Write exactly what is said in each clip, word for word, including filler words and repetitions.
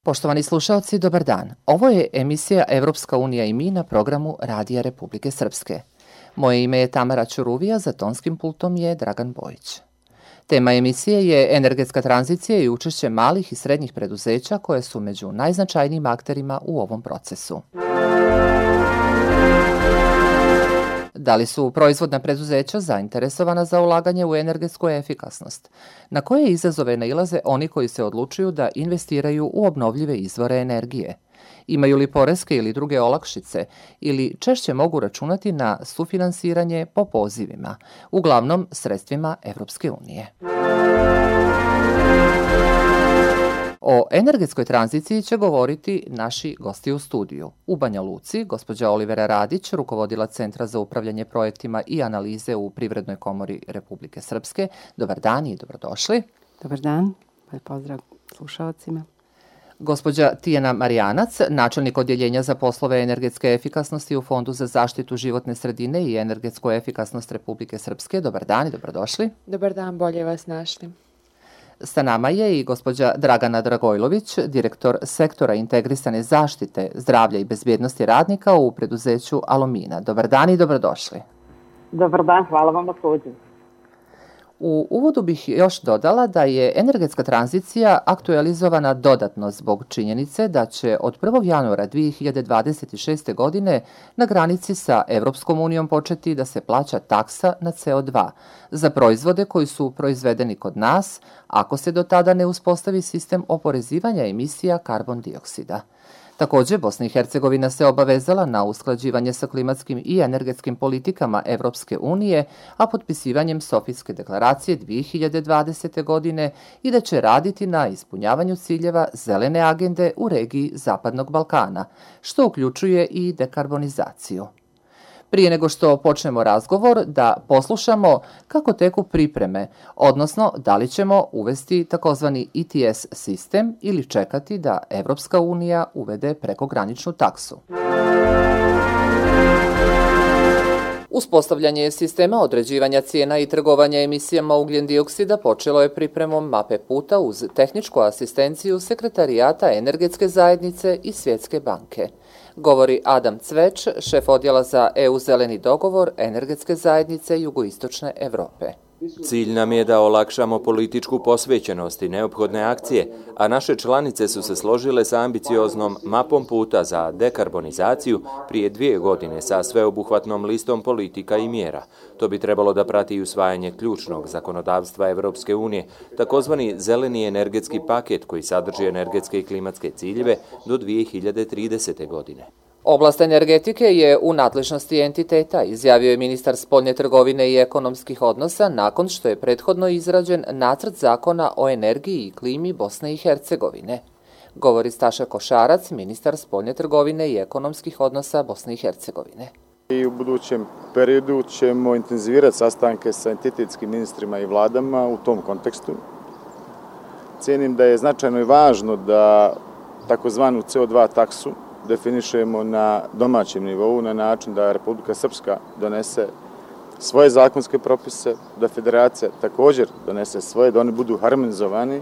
Poštovani slušaoci, dobar dan. Ovo je emisija Evropska unija i mi na programu Radija Republike Srpske. Moje ime je Tamara Ćuruvija, za tonskim pultom je Dragan Bojić. Tema emisije je energetska tranzicija i učešće malih i srednjih preduzeća koje su među najznačajnijim akterima u ovom procesu. Da li su proizvodna preduzeća zainteresovana za ulaganje u energetsku efikasnost? Na koje izazove nailaze oni koji se odlučuju da investiraju u obnovljive izvore energije? Imaju li poreske ili druge olakšice ili češće mogu računati na sufinansiranje po pozivima, uglavnom sredstvima Evropske unije? O energetskoj tranziciji će govoriti naši gosti u studiju. U Banja Luci, gospođa Olivera Radić, rukovodila Centra za upravljanje projektima i analize u Privrednoj komori Republike Srpske. Dobar dan i dobrodošli. Dobar dan, pozdrav slušalcima. Gospođa Tijana Marijanac, načelnik odjeljenja za poslove energetske efikasnosti u Fondu za zaštitu životne sredine i energetsku efikasnost Republike Srpske. Dobar dan i dobrodošli. Dobar dan, bolje vas našli. Sa nama je i gospođa Dragana Dragojlović, direktor sektora integrisane zaštite zdravlja i bezbjednosti radnika u preduzeću Alumina. Dobar dan i dobrodošli. Dobar dan, hvala vam na pozivu. U uvodu bih još dodala da je energetska tranzicija aktualizovana dodatno zbog činjenice da će od prvog januara dvije hiljade dvadeset šeste. godine na granici sa Evropskom unijom početi da se plaća taksa na C O dva za proizvode koji su proizvedeni kod nas, ako se do tada ne uspostavi sistem oporezivanja emisija karbon dioksida. Također, Bosna i Hercegovina se obavezala na usklađivanje sa klimatskim i energetskim politikama Evropske unije, a potpisivanjem Sofijske deklaracije dvije hiljade dvadesete. godine i da će raditi na ispunjavanju ciljeva zelene agende u regiji Zapadnog Balkana, što uključuje i dekarbonizaciju. Prije nego što počnemo razgovor, da poslušamo kako teku pripreme, odnosno da li ćemo uvesti takozvani E T S sistem ili čekati da Evropska unija uvede prekograničnu taksu. Uspostavljanje sistema određivanja cijena i trgovanja emisijama ugljen dioksida počelo je pripremom mape puta uz tehničku asistenciju Sekretarijata Energetske zajednice i Svjetske banke. Govori Adam Cveć, šef odjela za E U zeleni dogovor Energetske zajednice Jugoistočne Evrope. Cilj nam je da olakšamo političku posvećenost i neophodne akcije, a naše članice su se složile sa ambicioznom mapom puta za dekarbonizaciju prije dvije godine sa sveobuhvatnom listom politika i mjera. To bi trebalo da prati usvajanje ključnog zakonodavstva Evropske unije, takozvani zeleni energetski paket koji sadrži energetske i klimatske ciljeve do dvije hiljade tridesete. godine. Oblast energetike je u nadležnosti entiteta, izjavio je ministar spoljne trgovine i ekonomskih odnosa nakon što je prethodno izrađen nacrt zakona o energiji i klimi Bosne i Hercegovine. Govori Staša Košarac, ministar spoljne trgovine i ekonomskih odnosa Bosne i Hercegovine. I u budućem periodu ćemo intenzivirati sastanke sa entitetskim ministrima i vladama u tom kontekstu. Cijenim da je značajno i važno da takozvanu C O dva taksu definišemo na domaćem nivou na način da Republika Srpska donese svoje zakonske propise, da Federacija također donese svoje, da oni budu harmonizovani.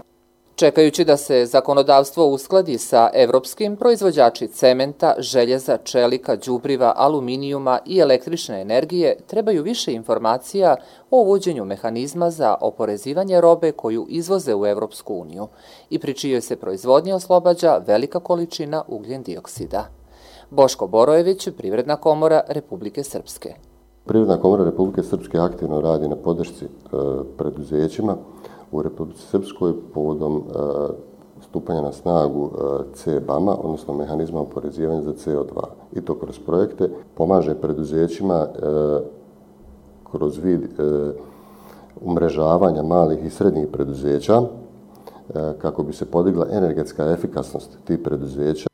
Čekajući da se zakonodavstvo uskladi sa evropskim, proizvođači cementa, željeza, čelika, đubriva, aluminijuma i električne energije trebaju više informacija o uvođenju mehanizma za oporezivanje robe koju izvoze u Evropsku uniju i pri čijoj se proizvodnji oslobađa velika količina ugljen dioksida. Boško Borojević, Privredna komora Republike Srpske. Privredna komora Republike Srpske aktivno radi na podršci e, preduzećima u Republici Srpskoj povodom e, stupanja na snagu e, C B A M-a, odnosno mehanizma oporezivanja za C O dva. I to kroz projekte pomaže preduzećima e, kroz vid e, umrežavanja malih i srednjih preduzeća e, kako bi se podigla energetska efikasnost tih preduzeća.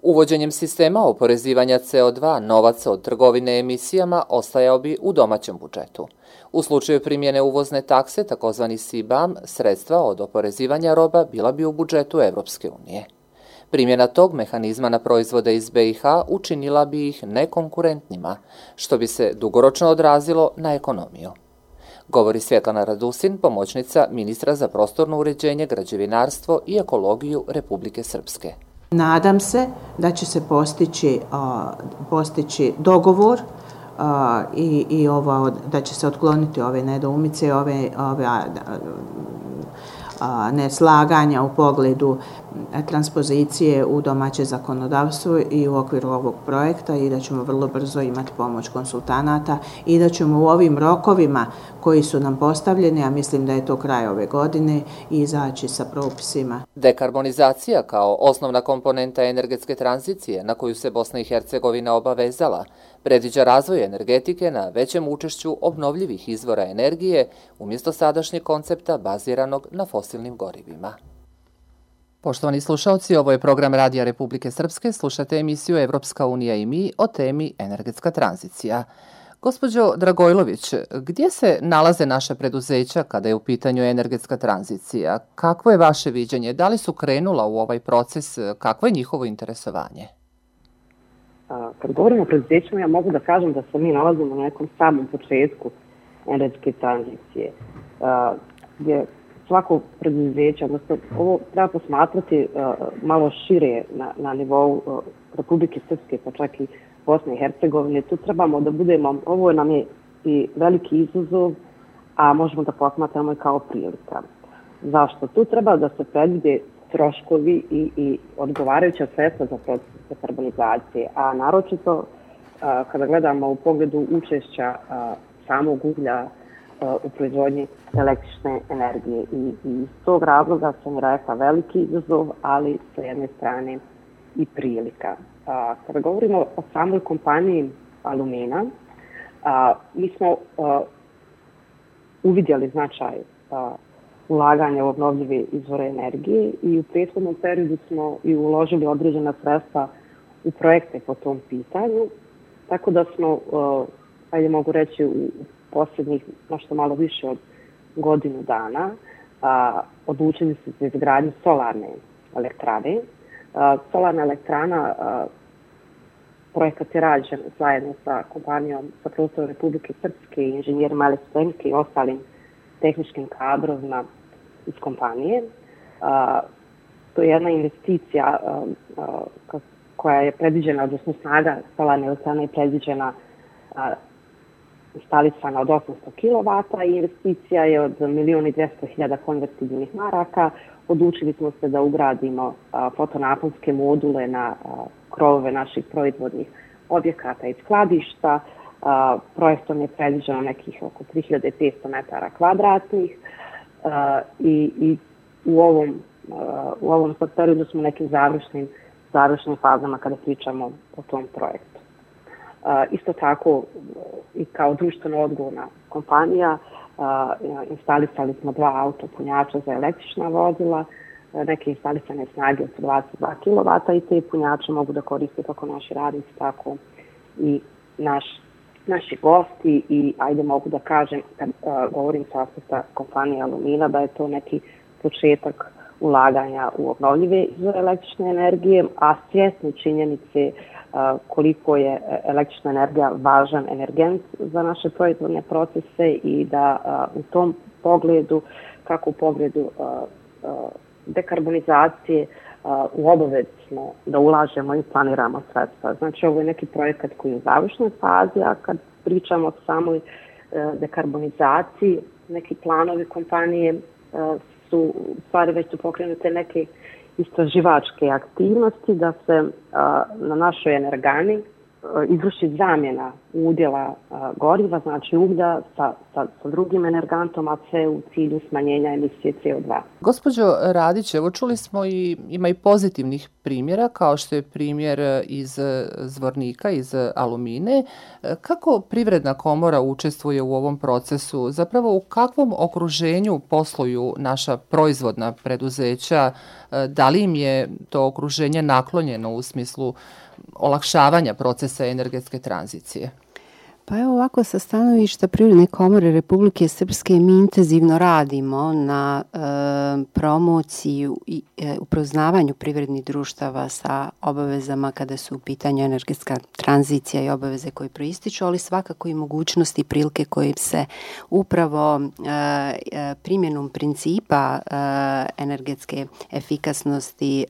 Uvođenjem sistema oporezivanja C O dva novac od trgovine emisijama ostajao bi u domaćem budžetu. U slučaju primjene uvozne takse, takozvani C B A M, sredstva od oporezivanja roba bila bi u budžetu Evropske unije. Primjena tog mehanizma na proizvode iz B i H učinila bi ih nekonkurentnima, što bi se dugoročno odrazilo na ekonomiju. Govori Svjetlana Radusin, pomoćnica ministra za prostorno uređenje, građevinarstvo i ekologiju Republike Srpske. Nadam se da će se postići, postići dogovor i, i ovo, da će se otkloniti ove nedoumice, ove, ove neslaganja u pogledu transpozicije u domaće zakonodavstvo i u okviru ovog projekta i da ćemo vrlo brzo imati pomoć konsultanata i da ćemo u ovim rokovima koji su nam postavljeni, a mislim da je to kraj ove godine, izaći sa propisima. Dekarbonizacija kao osnovna komponenta energetske tranzicije na koju se Bosna i Hercegovina obavezala predviđa razvoj energetike na većem učešću obnovljivih izvora energije umjesto sadašnjeg koncepta baziranog na fosilnim gorivima. Poštovani slušalci, ovo je program Radija Republike Srpske. Slušate emisiju Evropska unija i mi o temi energetska tranzicija. Gospođo Dragojlović, gdje se nalaze naša preduzeća kada je u pitanju energetska tranzicija? Kakvo je vaše viđenje? Da li su krenula u ovaj proces? Kakvo je njihovo interesovanje? Kad govorimo o preduzećima, ja mogu da kažem da se mi nalazimo na nekom samom početku energetske tranzicije, gdje svako preduzeće, odnosno ovo treba posmatrati malo šire na, na nivou Republike Srpske, pa čak i Bosne i Hercegovine. Tu trebamo da budemo, ovo nam je i veliki izazov, a možemo da posmatramo i kao prilika. Zašto? Tu treba da se predvide troškovi i, i odgovarajuća sredstva za proces dekarbonizacije, a naročito a, kada gledamo u pogledu učešća a, samog uglja a, u proizvodnji električne energije. I, i iz tog razloga sam rekla veliki izazov, ali sa jedne strane i prilika. A, kada govorimo o samoj kompaniji Alumina, a, mi smo a, uvidjeli značaj a, ulaganja u obnovljive izvore energije i u prethodnom periodu smo i uložili određena sredstva u projekte po tom pitanju, tako da smo, ajde mogu reći, u posljednjih nešto malo više od godinu dana a, odlučili se za izgradnju solarne elektrane. A, solarna elektrana, a, projekat je rađen zajedno sa kompanijom sa prostora Republike Srpske i inženjerima elektrotehnike i ostalim tehničkim kadrovima iz kompanije. A, to je jedna investicija a, a, koja je predviđena, odnosno snaga solarne elektrane je predviđena a, instalisana od osamsto kilovata i investicija je od milion i dvjesto hiljada konvertibilnih maraka. Odlučili smo se da ugradimo a, fotonaponske module na a, krovove naših proizvodnih objekata i skladišta. A, projektom je predviđeno nekih oko tri hiljade petsto metara kvadratnih a, i, i u ovom, a, u ovom periodu smo nekim završnim, završnim fazama kada pričamo o tom projektu. A, isto tako i kao društveno odgovorna kompanija a, instalisali smo dva autopunjača za električna vozila, a, neke instalisane snage od dvadeset dva kilovata i te punjače mogu da koriste kako naši radnici, tako i naš naši gosti i ajde mogu da kažem, kad uh, govorim sa aspekta kompanije Alumina, da je to neki početak ulaganja u obnovljive izvore električne energije, a svjesni činjenice uh, koliko je električna energija važan energent za naše proizvodne procese i da uh, u tom pogledu, kako u pogledu uh, uh, dekarbonizacije, Uh, u obavezi smo da ulažemo i planiramo sredstva. Znači, ovo je neki projekat koji je u završnoj fazi, a kad pričamo o samoj uh, dekarbonizaciji, neki planovi kompanije uh, su, u stvari već su pokrenute neke istraživačke aktivnosti da se uh, na našoj energani uh, izvrši zamjena udjela uh, goriva, znači uglja sa, sa, sa drugim energantom, a sve u cilju smanjenja emisije C O dva. Gospođo Radić, evo čuli smo i ima i pozitivnih primjera, kao što je primjer iz Zvornika, iz Alumine. Kako Privredna komora učestvuje u ovom procesu? Zapravo u kakvom okruženju posluju naša proizvodna preduzeća? Da li im je to okruženje naklonjeno u smislu olakšavanja procesa energetske tranzicije? Pa evo ovako, sa stanovišta Privredne komore Republike Srpske mi intenzivno radimo na e, promociji i e, upoznavanju privrednih društava sa obavezama kada su u pitanju energetska tranzicija i obaveze koje proističu, ali svakako i mogućnosti i prilike koje se upravo e, primjenom principa e, energetske efikasnosti e,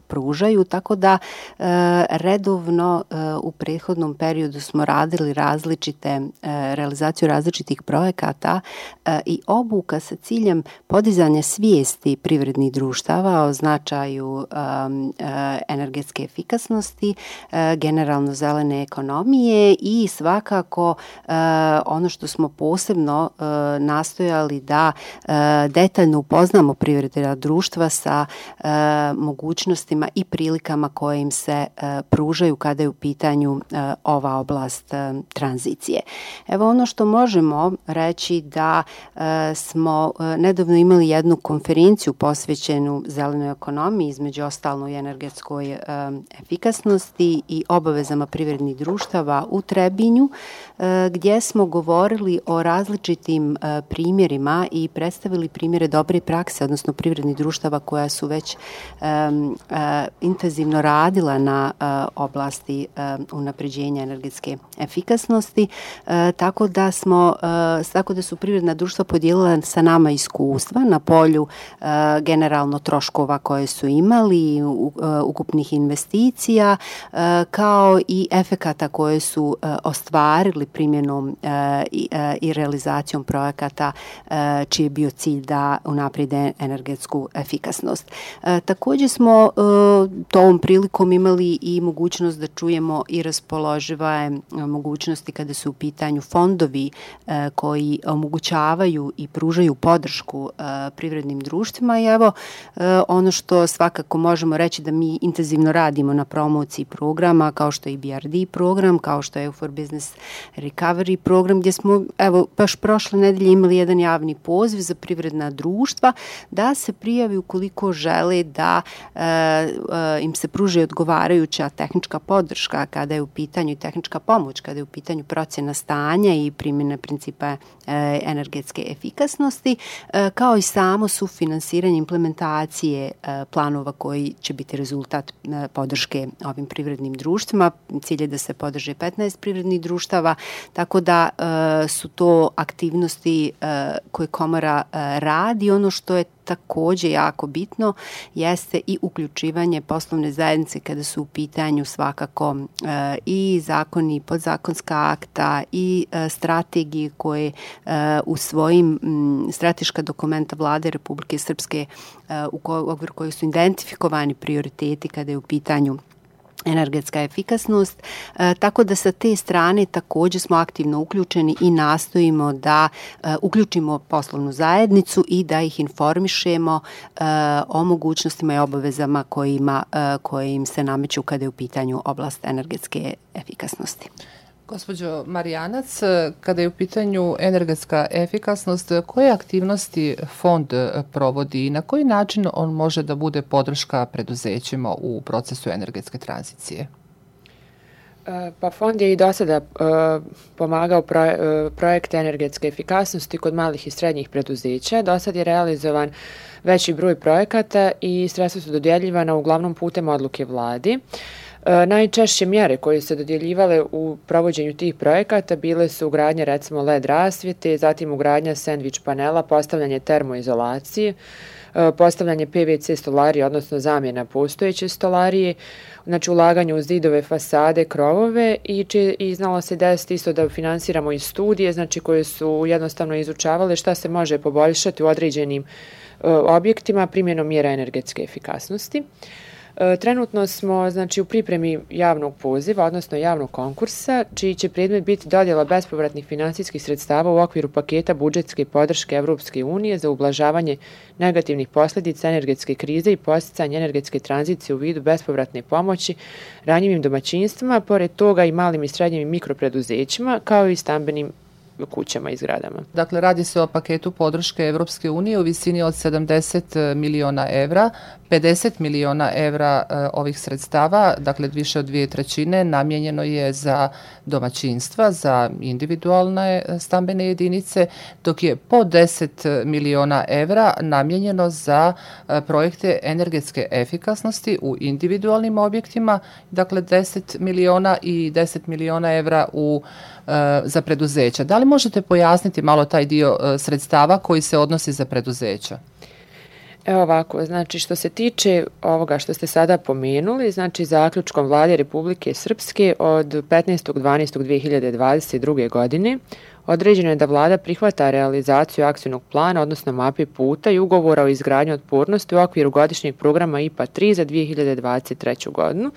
pružaju, tako da e, redovno e, u prethodnom periodu smo radili različite, realizaciju različitih projekata i obuka sa ciljem podizanja svijesti privrednih društava o značaju energetske efikasnosti, generalno zelene ekonomije i svakako ono što smo posebno nastojali da detaljno upoznamo privredna društva sa mogućnostima i prilikama koje im se pružaju kada je u pitanju ova oblast tranzicije. Evo ono što možemo reći da e, smo e, nedavno imali jednu konferenciju posvećenu zelenoj ekonomiji, između ostalo i energetskoj e, efikasnosti i obavezama privrednih društava u Trebinju, e, gdje smo govorili o različitim e, primjerima i predstavili primjere dobre prakse, odnosno privrednih društava koja su već e, e, intenzivno radila na e, oblasti e, unapređenja energetske efikasnosti. E, tako da smo e, tako da su privredna društva podijelila sa nama iskustva na polju e, generalno troškova koje su imali, u, e, ukupnih investicija, e, kao i efekata koje su e, ostvarili primjenom e, i, e, i realizacijom projekata e, čiji je bio cilj da unaprijede energetsku efikasnost. E, također smo e, tom prilikom imali i mogućnost da čujemo i raspoložive mogućnosti kada su u pitanju fondovi e, koji omogućavaju i pružaju podršku e, privrednim društvima i evo e, ono što svakako možemo reći da mi intenzivno radimo na promociji programa kao što je i B R D program, kao što je for Business Recovery program, gdje smo evo baš prošle nedelje imali jedan javni poziv za privredna društva da se prijavi ukoliko žele da e, e, im se pruži odgovarajuća tehnička podrška kada je u pitanju i tehnička pomoć, kada je u pitanju procjena stanja i primjena principa e, energetske efikasnosti, e, kao i samo sufinansiranje implementacije e, planova koji će biti rezultat e, podrške ovim privrednim društvima. Cilj je da se podrže petnaest privrednih društava, tako da e, su to aktivnosti e, koje komora e, radi. Ono što je također jako bitno jeste i uključivanje poslovne zajednice kada su u pitanju svakako e, i zakoni, podzakonska akta i e, strategije koje e, u svojim m, strateška dokumenta Vlade Republike Srpske e, u okviru kojih su identifikovani prioriteti kada je u pitanju energetska efikasnost, e, tako da sa te strane također smo aktivno uključeni i nastojimo da e, uključimo poslovnu zajednicu i da ih informišemo e, o mogućnostima i obavezama kojima, e, koje im se nameću kada je u pitanju oblast energetske efikasnosti. Gospođo Marijanac, kada je u pitanju energetska efikasnost, koje aktivnosti fond provodi i na koji način on može da bude podrška preduzećima u procesu energetske tranzicije? Pa fond je i do sada uh, pomagao pro, uh, projekte energetske efikasnosti kod malih i srednjih preduzeća. Do sad je realizovan veći broj projekata i sredstva su dodjeljivana uglavnom putem odluke vladi. E, najčešće mjere koje su se dodjeljivale u provođenju tih projekata bile su ugradnja recimo L E D rasvjete, zatim ugradnja sandvič panela, postavljanje termoizolacije, e, postavljanje P V C stolarije, odnosno zamjena postojeće stolarije, znači ulaganje u zidove, fasade, krovove i, či, i znalo se desiti isto da finansiramo i studije, znači koje su jednostavno izučavale šta se može poboljšati u određenim e, objektima primjenom mjera energetske efikasnosti. Trenutno smo znači, u pripremi javnog poziva, odnosno javnog konkursa, čiji će predmet biti dodjela bespovratnih finansijskih sredstava u okviru paketa budžetske podrške Evropske unije za ublažavanje negativnih posljedica energetske krize i posticanje energetske tranzicije u vidu bespovratne pomoći ranjivim domaćinstvima, pored toga i malim i srednjim i mikropreduzećima, kao i stambenim kućama i zgradama. Dakle, radi se o paketu podrške Evropske unije u visini od sedamdeset miliona evra. pedeset miliona evra ovih sredstava, dakle više od dvije trećine, namijenjeno je za domaćinstva, za individualne stambene jedinice, dok je po deset miliona evra namijenjeno za projekte energetske efikasnosti u individualnim objektima, dakle deset miliona i deset miliona evra u, za preduzeća. Da li možete pojasniti malo taj dio sredstava koji se odnosi za preduzeća? Evo ovako, znači što se tiče ovoga što ste sada pomenuli, znači zaključkom Vlade Republike Srpske od petnaestog dvanaestog dve hiljade dvadeset druge. godine određeno je da Vlada prihvata realizaciju akcijnog plana, odnosno mape puta i ugovora o izgradnji otpornosti u okviru godišnjeg programa I P A tri za dve hiljade dvadeset treću. godinu,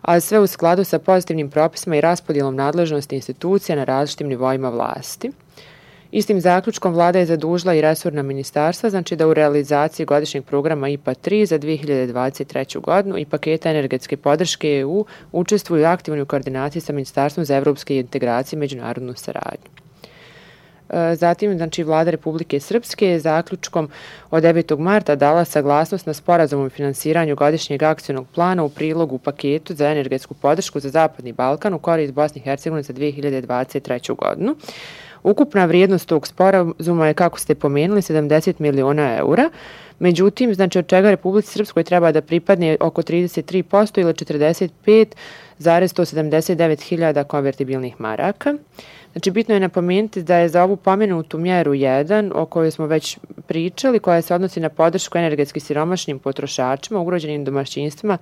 a sve u skladu sa pozitivnim propisima i raspodjelom nadležnosti institucija na različitim nivoima vlasti. Istim zaključkom Vlada je zadužila i resorna ministarstva, znači da u realizaciji godišnjeg programa I P A tri za dve hiljade dvadeset treću. godinu i paketa energetske podrške E U učestvuju aktivno u koordinaciji sa Ministarstvom za evropske integracije i međunarodnu saradnju. Zatim, znači, Vlada Republike Srpske je zaključkom od devetog marta dala saglasnost na sporazum o finansiranju godišnjeg akcijnog plana u prilogu paketu za energetsku podršku za Zapadni Balkan u korist Bosne i Hercegovine za dve hiljade dvadeset treću. godinu. Ukupna vrijednost tog sporazuma je, kako ste pomenuli, sedamdeset miliona eura, međutim, znači od čega Republici Srpskoj treba da pripadne oko trideset tri posto ili četrdeset pet zarez sto sedamdeset devet hiljada konvertibilnih maraka. Znači, bitno je napomenuti da je za ovu pomenutu mjeru jedan, o kojoj smo već pričali, koja se odnosi na podršku energetski siromašnim potrošačima, ugroženim domaćinstvima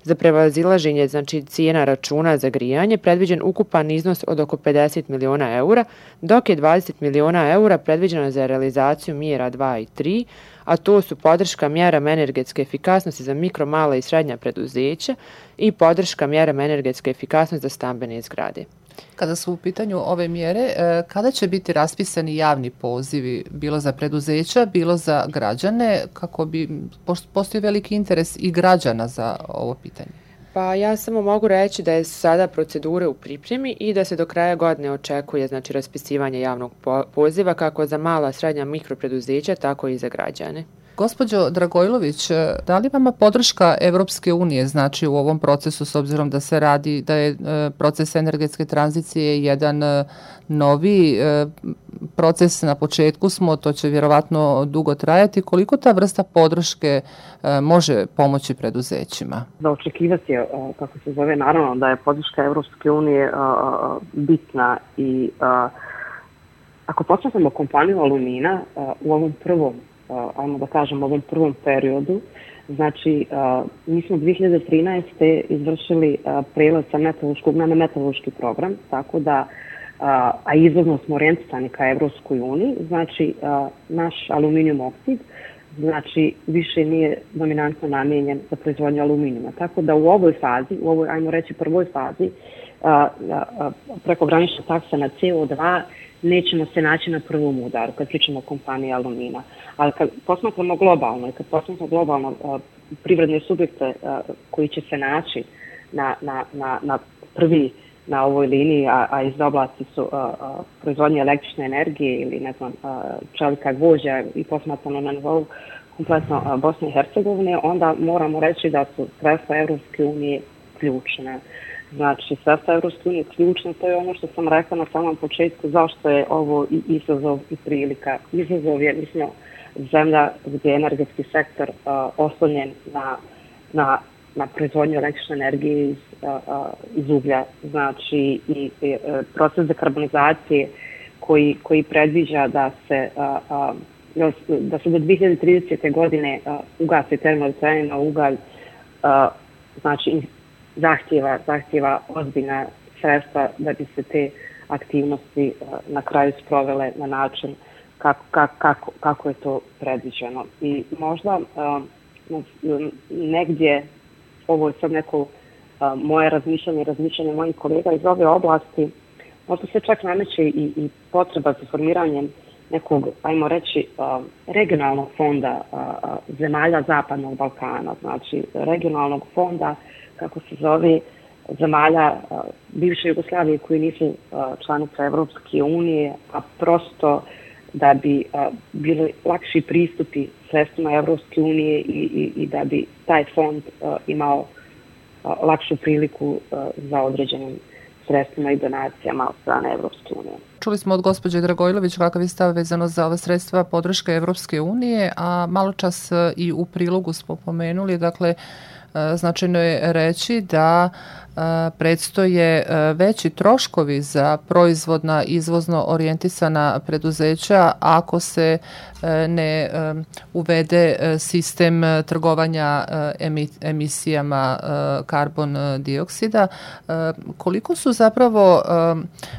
za prevazilaženje, znači, cijena računa za grijanje, predviđen ukupan iznos od oko pedeset miliona eura, dok je dvadeset miliona eura predviđeno za realizaciju mjera dva i tri, a to su podrška mjerama energetske efikasnosti za mikro, mala i srednja preduzeća i podrška mjerama energetske efikasnosti za stambene zgrade. Kada su u pitanju ove mjere, kada će biti raspisani javni pozivi, bilo za preduzeća, bilo za građane, kako bi postoji veliki interes i građana za ovo pitanje? Pa ja samo mogu reći da je sada procedure u pripremi i da se do kraja godine očekuje, znači, raspisivanje javnog poziva kako za mala, srednja, mikropreduzeća, tako i za građane. Gospođo Dragojlović, da li vama podrška Evropske unije znači u ovom procesu, s obzirom da se radi, da je proces energetske tranzicije jedan novi proces, na početku smo, to će vjerovatno dugo trajati, koliko ta vrsta podrške može pomoći preduzećima? Za očekivati je, kako se zove, naravno da je podrška Evropske unije bitna i ako počnemo kompaniju Alumina u ovom prvom ajmo da kažem, ovom prvom periodu. Znači, mi smo dve hiljade trinaeste. izvršili prelaz sa metalurškog na metalurški program, tako da, a izvozno smo orijentisani ka Evropskoj uniji, znači, naš aluminijum oksid, znači, više nije dominantno namijenjen za proizvodnju aluminijuma. Tako da u ovoj fazi, u ovoj, ajmo reći, prvoj fazi, prekogranična taksa na C O dva nećemo se naći na prvom udaru kad pričamo o kompaniji Alumina. Ali kad posmatramo globalno i kad posmatramo globalno uh, privredne subjekte uh, koji će se naći na, na, na, na prvi na ovoj liniji, a, a iz oblasti su uh, uh, proizvodnje električne energije ili ne znam, uh, čelika gvožđa i posmatrano na nivou kompletno uh, Bosne i Hercegovine, onda moramo reći da su sredstva Evropske unije ključne. Znači, sredstva Evropske unije ključno, to je ono što sam rekla na samom početku, zašto je ovo i izazov i prilika. Izazov je, mislim, zemlja gdje je energetski sektor uh, oslonjen na, na, na proizvodnju električne energije iz, uh, uh, iz uglja. Znači, i, i uh, proces dekarbonizacije koji, koji predviđa da se, uh, uh, da se do dve hiljade tridesete. godine uh, ugasi termoelektrane na ugalj, uh, znači, zahtjeva, zahtjeva ozbiljna sredstva da bi se te aktivnosti uh, na kraju sprovele na način kako, kako, kako je to predviđeno. I možda uh, negdje, ovo je sad neko uh, moje razmišljanje, razmišljanje mojih kolega iz ove oblasti, možda se čak nameće i, i potreba za formiranjem nekog, ajmo reći, uh, regionalnog fonda uh, zemalja Zapadnog Balkana, znači regionalnog fonda, kako se zove, zemalja uh, bivše Jugoslavije koji nisu uh, članice Evropske unije, a prosto da bi uh, bili lakši pristupi sredstvima Evropske unije i, i, i da bi taj fond imao lakšu priliku za određenim sredstvima i donacijama od strane Evropske unije. Čuli smo od gospođe Dragojlović kakav je stav vezano za ove sredstva podrške Evropske unije, a malo čas i u prilogu smo pomenuli, dakle, značajno je reći da predstoje veći troškovi za proizvodna izvozno orijentisana preduzeća ako se ne uvede sistem trgovanja emisijama karbon dioksida. Koliko su zapravo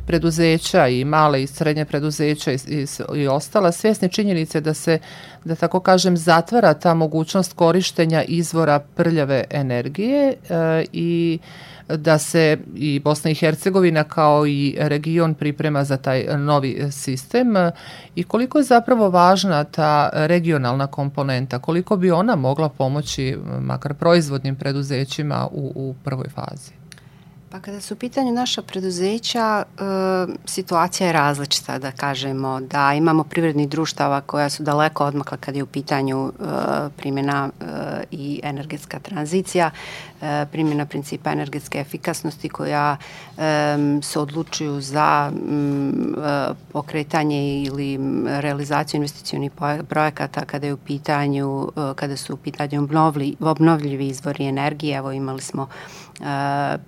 preduzeća i male i srednje preduzeća i, i, i ostala svjesni činjenice da se, da tako kažem, zatvara ta mogućnost korištenja izvora prljave energije i da se i Bosna i Hercegovina kao i region priprema za taj novi sistem i koliko je zapravo važna ta regionalna komponenta, koliko bi ona mogla pomoći makar proizvodnim preduzećima u, u prvoj fazi? Pa kada su u pitanju naša preduzeća, e, situacija je različita, da kažemo, da imamo privrednih društava koja su daleko odmakla kad je u pitanju e, primjena e, i energetska tranzicija, e, primjena principa energetske efikasnosti koja e, se odlučuju za m, e, pokretanje ili realizaciju investicionih projekata kada je u pitanju, e, kada su u pitanju obnovljivi, obnovljivi izvori energije. Evo imali smo Uh,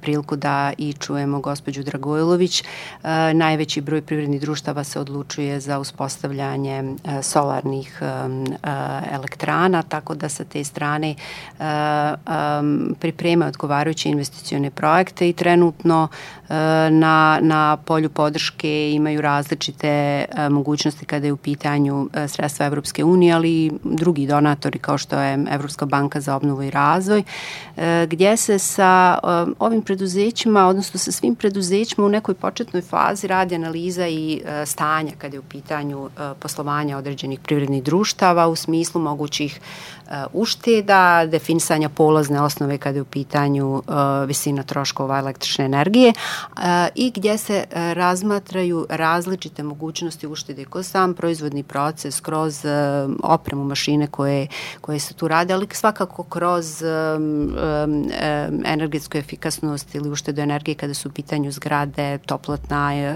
priliku da i čujemo gospođu Dragojlović. Uh, najveći broj privrednih društava se odlučuje za uspostavljanje uh, solarnih um, uh, elektrana, tako da sa te strane uh, um, pripremaju odgovarajuće investicione projekte i trenutno uh, na, na polju podrške imaju različite uh, mogućnosti kada je u pitanju uh, sredstva Evropske unije, ali i drugi donatori kao što je Evropska banka za obnovu i razvoj, uh, gdje se sa ovim preduzećima, odnosno sa svim preduzećima u nekoj početnoj fazi radi analiza i e, stanja kada je u pitanju e, poslovanja određenih privrednih društava u smislu mogućih e, ušteda, definisanja polazne osnove kada je u pitanju e, visina troškova električne energije e, i gdje se e, razmatraju različite mogućnosti uštede kroz sam proizvodni proces, kroz e, opremu mašine koje, koje se tu rade, ali svakako kroz e, e, energetsku efikasnost ili uštedu energije kada su u pitanju zgrade, toplotna e, e,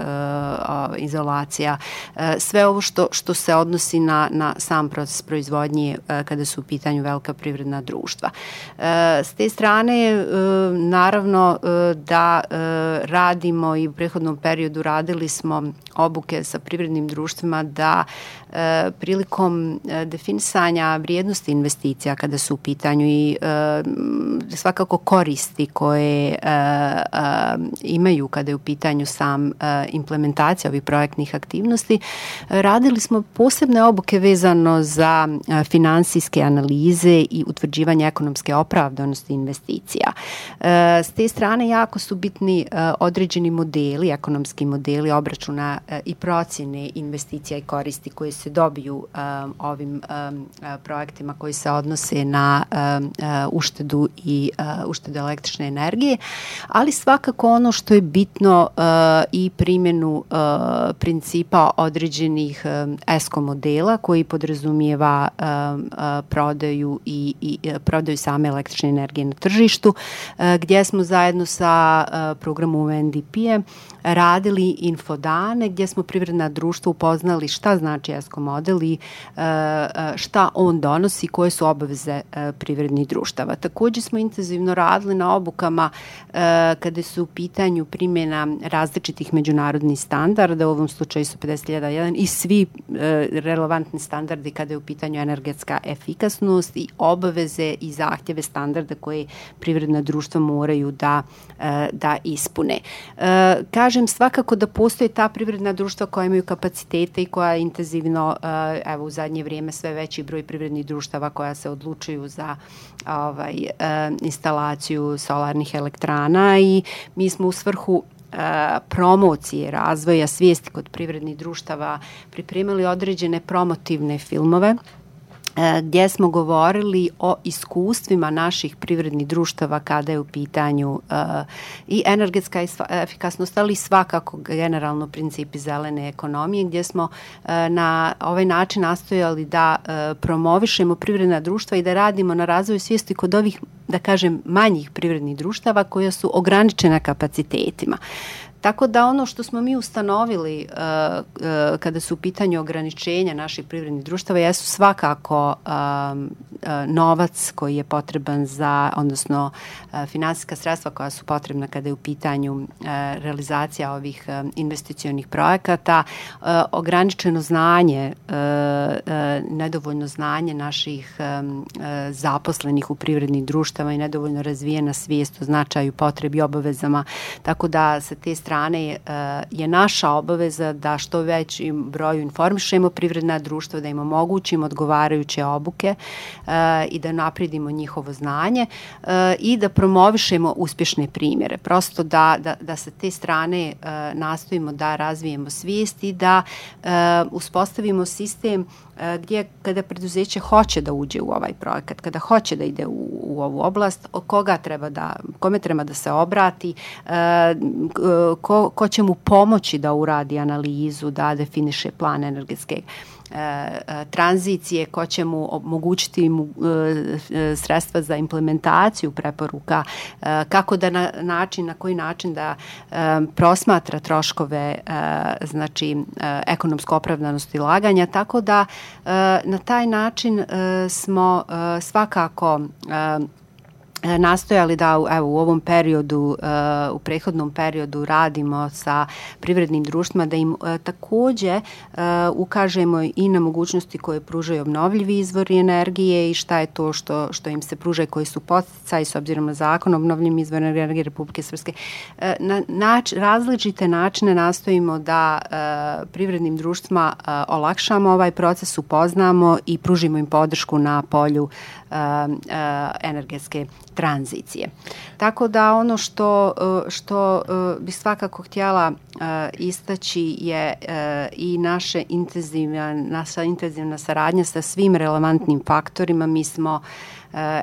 izolacija, e, sve ovo što, što se odnosi na, na sam proces proizvodnje e, kada su u pitanju velika privredna društva. E, s te strane, e, naravno e, da e, radimo i u prethodnom periodu radili smo obuke sa privrednim društvima da e, prilikom e, definisanja vrijednosti investicija kada su u pitanju i e, svakako koristi koje e, e, imaju kada je u pitanju sam e, implementacija ovih projektnih aktivnosti, radili smo posebne obuke vezano za e, finansijske analize i utvrđivanje ekonomske opravdanosti investicija. E, s te strane jako su bitni e, određeni modeli, ekonomski modeli obračuna e, i procjene investicija i koristi koje se dobiju e, ovim e, projektima koji se odnose na e, e, uštedu i e, uštedu električne energije, ali svakako ono što je bitno uh, i primjenu uh, principa određenih uh, ESCO modela koji podrazumijeva uh, uh, prodaju i, i uh, prodaju same električne energije na tržištu, uh, gdje smo zajedno sa uh, programom U N D P-em radili infodane gdje smo privredna društva upoznali šta znači ESCO model i uh, šta on donosi, koje su obaveze uh, privrednih društava. Također smo intenzivno radili na obukama uh, kada su u pitanju primjena različitih međunarodnih standarda, u ovom slučaju su pedeset hiljada jedan i svi uh, relevantni standardi kada je u pitanju energetska efikasnost i obaveze i zahtjeve standarda koje privredna društva moraju da, uh, da ispune. Uh, kažem, svakako da postoje ta privredna društva koja imaju kapacitete i koja intenzivno, uh, evo u zadnje vrijeme sve veći broj privrednih društava koja se odlučuju za ovaj, uh, instalaciju solarnih elektrana i mi smo u svrhu promocije, razvoja svijesti kod privrednih društava pripremili određene promotivne filmove gdje smo govorili o iskustvima naših privrednih društava kada je u pitanju uh, i energetska efikasnost, ali svakako generalno principi zelene ekonomije, gdje smo uh, na ovaj način nastojali da uh, promovišemo privredna društva i da radimo na razvoju svijesti kod ovih, da kažem, manjih privrednih društava koja su ograničena kapacitetima. Tako da ono što smo mi ustanovili uh, uh, kada su u pitanju ograničenja naših privrednih društava jesu svakako um, uh, novac koji je potreban za, odnosno uh, finansijska sredstva koja su potrebna kada je u pitanju uh, realizacija ovih uh, investicionih projekata, uh, ograničeno znanje, uh, uh, nedovoljno znanje naših um, uh, zaposlenih u privrednih društava i nedovoljno razvijena svijest o značaju, potrebi, obavezama, tako da sa te strane je naša obaveza da što većim broju informišemo privredna društva, da im omogućimo odgovarajuće obuke i da napredimo njihovo znanje i da promovišemo uspješne primjere. Prosto da, da, da sa te strane nastojimo da razvijemo svijest i da uspostavimo sistem gdje kada preduzeće hoće da uđe u ovaj projekat, kada hoće da ide u, u ovu oblast, koga treba da, kome treba da se obrati, ko, ko će mu pomoći da uradi analizu, da definiše plan energetske tranzicije, ko će mu omogućiti mu sredstva za implementaciju preporuka, kako da na način, na koji način da prosmatra troškove, znači ekonomsku opravdanost ulaganja, tako da na taj način smo svakako nastojali da evo, u ovom periodu, u prethodnom periodu radimo sa privrednim društvima, da im takođe ukažemo i na mogućnosti koje pružaju obnovljivi izvori energije i šta je to što, što im se pruža i koji su podsticaji s obzirom na zakon o obnovljivim izvorima energije Republike Srpske. Na nač, različite načine nastojimo da privrednim društvima olakšamo ovaj proces, upoznamo i pružimo im podršku na polju energetske tranzicije. Tako da ono što, što bi svakako htjela istaći je i naše intenzivna, naša intenzivna saradnja sa svim relevantnim faktorima. Mi smo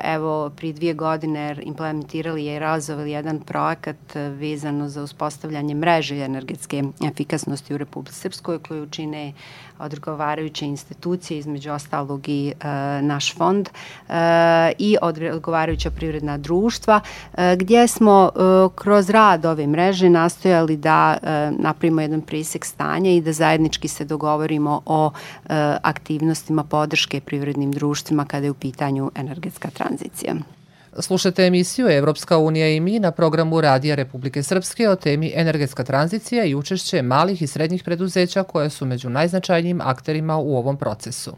evo prije dvije godine implementirali i realizovali jedan projekat vezano za uspostavljanje mreže energetske efikasnosti u Republici Srpskoj koju čine odgovarajuće institucije, između ostalog i e, naš fond e, i odgovarajuća privredna društva, e, gdje smo e, kroz rad ove mreže nastojali da e, napravimo jedan presjek stanja i da zajednički se dogovorimo o e, aktivnostima podrške privrednim društvima kada je u pitanju energetska tranzicija. Slušate emisiju Evropska unija i mi na programu Radija Republike Srpske o temi energetska tranzicija i učešće malih i srednjih preduzeća koje su među najznačajnijim akterima u ovom procesu.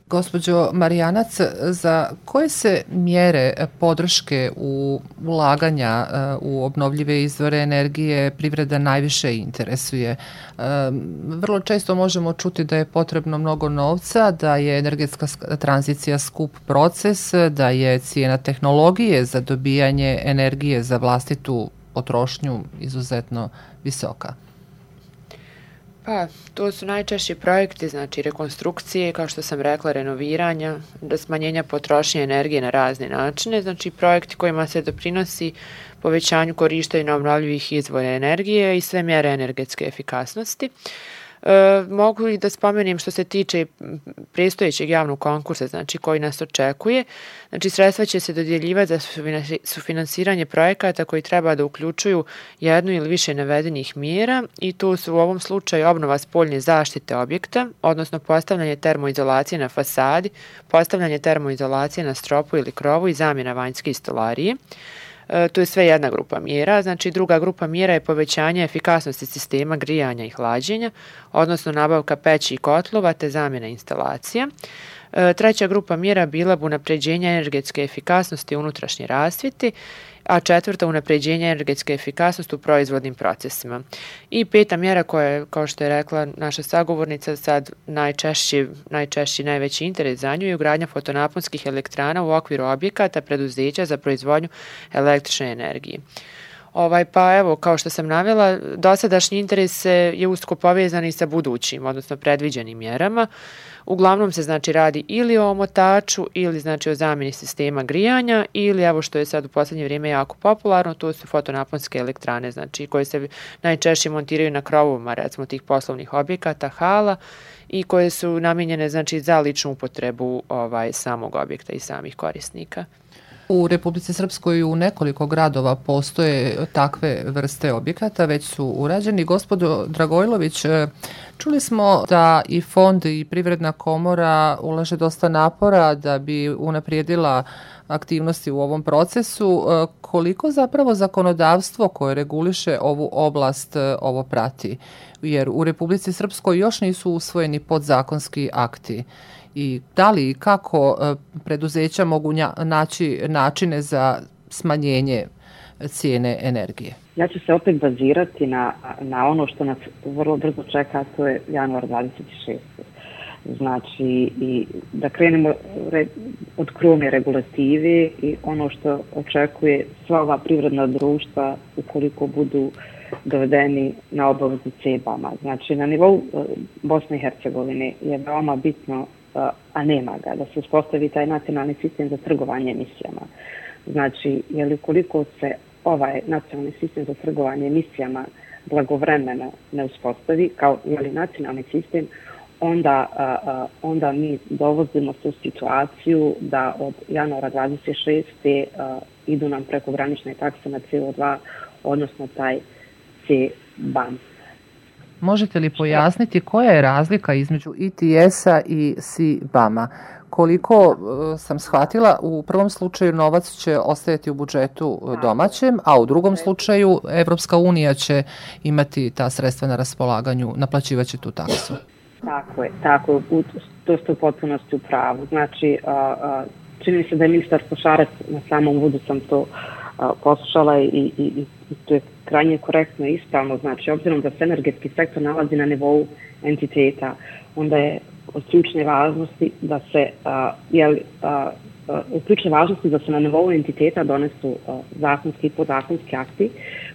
Gospođo Marijanac, za koje se mjere podrške u ulaganja u obnovljive izvore energije privreda najviše interesuje? Vrlo često možemo čuti da je potrebno mnogo novca, da je energetska tranzicija skup proces, da je cijena tehnologije za dobijanje energije za vlastitu potrošnju izuzetno visoka. Pa, to su najčešći projekti, znači rekonstrukcije, kao što sam rekla, renoviranja, da smanjenja potrošnje energije na razne načine, znači projekti kojima se doprinosi povećanju korištenja obnovljivih izvora energije i sve mjere energetske efikasnosti. E, mogu i da spomenem što se tiče predstojećeg javnog konkursa, znači koji nas očekuje. Znači sredstva će se dodjeljivati za sufinansiranje projekata koji treba da uključuju jednu ili više navedenih mjera i tu su u ovom slučaju obnova spoljne zaštite objekta, odnosno postavljanje termoizolacije na fasadi, postavljanje termoizolacije na stropu ili krovu i zamjena vanjske stolarije. To je sve jedna grupa mjera, znači druga grupa mjera je povećanje efikasnosti sistema grijanja i hlađenja, odnosno nabavka peći i kotlova te zamjena instalacija. Treća grupa mjera bila bi unapređenje energetske efikasnosti unutrašnje rasvjete, a četvrta unapređenje energetske efikasnosti u proizvodnim procesima. I peta mjera koja je, kao što je rekla naša sagovornica, sad najčešći, najčešći najveći interes za nju je ugradnja fotonaponskih elektrana u okviru objekata preduzeća za proizvodnju električne energije. Ovaj, pa evo, kao što sam navela, dosadašnji interes je usko povezan i sa budućim, odnosno predviđenim mjerama. Uglavnom se znači radi ili o omotaču ili znači o zamjeni sistema grijanja ili evo što je sad u posljednje vrijeme jako popularno, to su fotonaponske elektrane, znači koje se najčešće montiraju na krovovima recimo tih poslovnih objekata, hala i koje su namijenjene znači za ličnu upotrebu ovaj samog objekta i samih korisnika. U Republici Srpskoj u nekoliko gradova postoje takve vrste objekata, već su urađeni. Gospodo Dragojlović, čuli smo da i fond i Privredna komora ulaže dosta napora da bi unaprijedila aktivnosti u ovom procesu. Koliko zapravo zakonodavstvo koje reguliše ovu oblast ovo prati? Jer u Republici Srpskoj još nisu usvojeni podzakonski akti. I da li i kako preduzeća mogu naći načine za smanjenje cijene energije? Ja ću se opet bazirati na, na ono što nas vrlo brzo čeka, to je januar dvadeset šeste. Znači, i da krenemo od krovne regulative i ono što očekuje sva ova privredna društva ukoliko budu dovedeni na obavezu C E B A-ma. Znači, na nivou Bosne i Hercegovine je veoma bitno, a nema ga, da se uspostavi taj nacionalni sistem za trgovanje emisijama. Znači, jer ukoliko se ovaj nacionalni sistem za trgovanje emisijama blagovremeno ne uspostavi kao jeli, nacionalni sistem, onda, a, onda mi dovozimo se u situaciju da od januara dvadeset šeste a, idu nam prekogranične takse na C O dva, odnosno taj C B A M. Možete li pojasniti koja je razlika između I T S-a i C B A M-a? Koliko sam shvatila, u prvom slučaju novac će ostajati u budžetu domaćem, a u drugom slučaju Evropska unija će imati ta sredstva na raspolaganju, naplaćivaće tu taksu. Tako je, tako je, to ste u potpunosti u pravu. Znači, čini mi se da je ministar Košarac, na samom uvodu sam to poslušala i, i, i to je krajnje korektno i ispravno. Znači, obzirom da se energetski sektor nalazi na nivou entiteta, onda je od ključne važnosti da se a, jel, a, a, od ključne važnosti da se na nivou entiteta donesu a, zakonski i podzakonski akti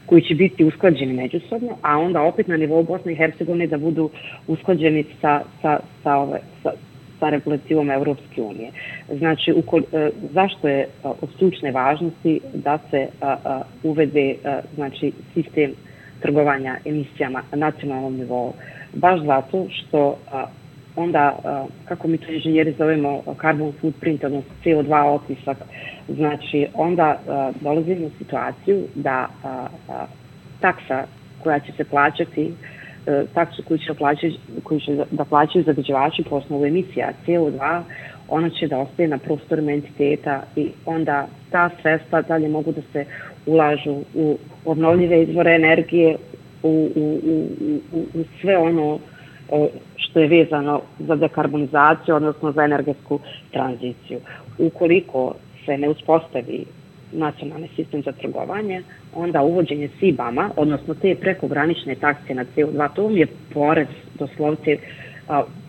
koji će biti usklađeni međusobno, a onda opet na nivou Bosne i Hercegovine da budu usklađeni sa, sa, sa, ove, sa, sa regulativom Evropske unije. Znači, ukol, a, zašto je a, od ključne važnosti da se a, a, uvede a, znači, sistem trgovanja emisijama na nacionalnom nivou? Baš zato što a, onda, kako mi to inženjeri zovemo, carbon footprint, odnosno C O dva otisak, znači onda dolazimo u situaciju da taksa koja će se plaćati, taksu koju će, plaćati, koju će da plaćaju zagađivači po osnovu emisija C O dva, ona će da ostaje na prostorima entiteta i onda ta sredstva dalje mogu da se ulažu u obnovljive izvore energije, u, u, u, u, u sve ono što je vezano za dekarbonizaciju, odnosno za energetsku tranziciju. Ukoliko se ne uspostavi nacionalni sistem za trgovanje, onda uvođenje C B A M-a, odnosno te prekogranične takse na C O dva, to je porez, doslovce